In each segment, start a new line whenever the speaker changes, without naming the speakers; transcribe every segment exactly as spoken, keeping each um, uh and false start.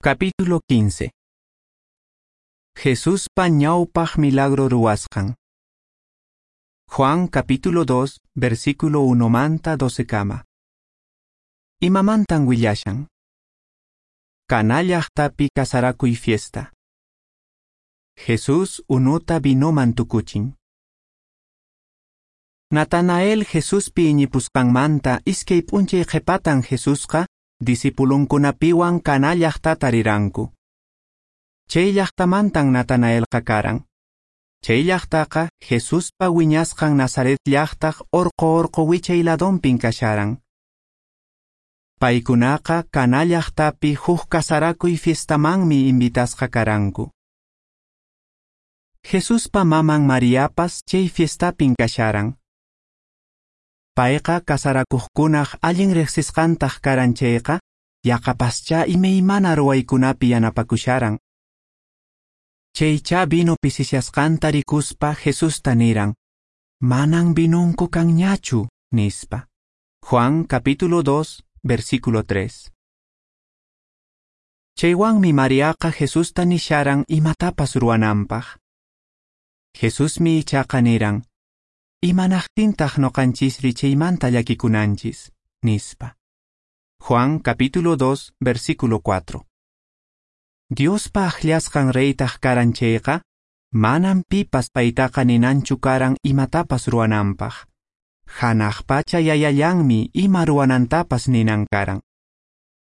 Capítulo quince. Jesuspa ñawpaq milagro ruwasqan. Juan capítulo dos, versículo uno manta doce kama. Imamantan willashan. Caná llaqtapi kasarakuy fiesta. Jesús unuta vinoman tukuchin. Natanael Jesuspi iñipusqanmanta iskay p'unchay qhipatan Jesusqa discipulunkunapiwan Caná llaqtata riranku. Chay llaqtamantan Natanaelqa karan. Chay llaqtaqa Jesuspa wiñasqan Nazaret llaqtaq orqo orqo wichay ladonpin kasharan. Paykunaqa Caná llaqtapi huk kasarakuy fiestamanmi invitasqa karanku. Jesuspa maman Mariapas chay fiestapin kasharan. Payqa kasarakuqkunaq allin riqsisqantaq karan chayqa, yaqapascha imaymana ruwaykunapi yanapakusharan. Chaycha vino pisishasqanta rikuspa Jesusta niran, manan vinunku kanñachu, nispa. Juan capítulo dos, versículo tres. Chaywanmi Mariaqa Jesusta nisharan imatapas ruwananpaq. Jesusmi ichaqa niran, imanaqtintaq noqanchisri chaymanta llakikunanchis, nispa. Juan capítulo dos, versículo cuatro. Diospa akllasqan reytaq karan chayqa, manan pipas paytaqa ninanchu karan imatapas ruwananpaq. Hanaq pacha yayallanmi ima ruwanantapas ninan karan.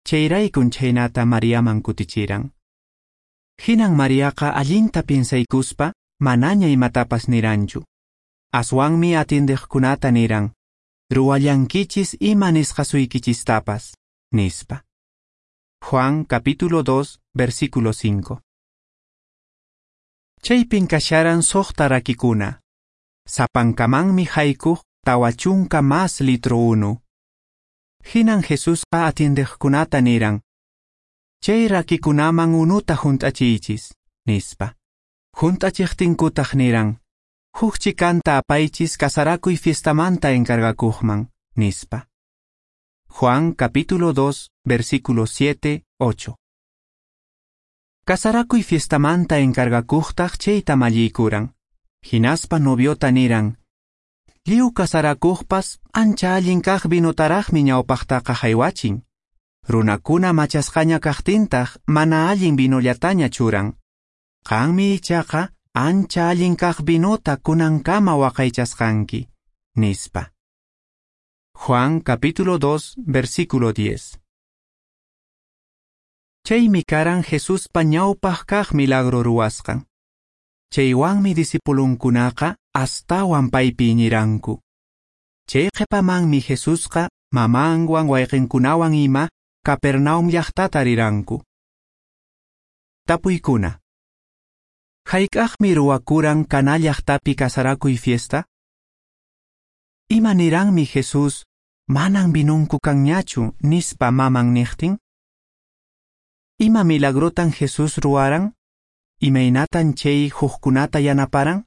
Chayraykun chhaynata Mariaman kutichiran. Hinan Mariaqa allinta piensaykuspa manaña imatapas niranchu. Aswanmi atindiqkunata niran, ruwallankichis ima nisqasuykichistapas, nispa. Juan capítulo dos, versículo cinco. Chaypin kasharan suqta rakikuna. Sapankamanmi haykuq tawa chunka mas litro unu. Hinan Jesusqa atindiqkunata niran, chay rakikunaman unuta hunt'achiychis, nispa. Hunt'achiqtinkutaq niran, huk chikanta apaychis kasarakuy fiestamanta encargakuqman, nispa. Juan capítulo dos, versículo siete, ocho. Kasarakuy fiestamanta encargakuqtaq chayta malliykuran. Hinaspa noviota niran, lliw kasarakuqpas ancha allin kaq vinotaraqmi ñawpaqtaqa haywachin. Runakuna machasqaña kaqtintaq mana allin vinollataña churan. Qanmi ichaqa ancha allin kaq vinota kunankama waqaychasqanki, nispa. Juan capítulo dos, versículo diez. Chaymi karan Jesuspa ñawpaq kaq milagro ruwasqan. Chaywanmi discipulunkunaqa astawan paypi iñiranku. Chay qhipamanmi Jesusqa mamanwan wayqinkunawan ima Capernaum llaqtata riranku. Tapuykuna. Hayk'aqmi ruwakuran Caná llaqtapi kasarakuy fiesta? Ima niranmi Jesús, manan vinunku kanñachu, nispa maman niqtin? Ima milagrotan Jesús ruwaran? Imaynatan chay hukkunata yanaparan?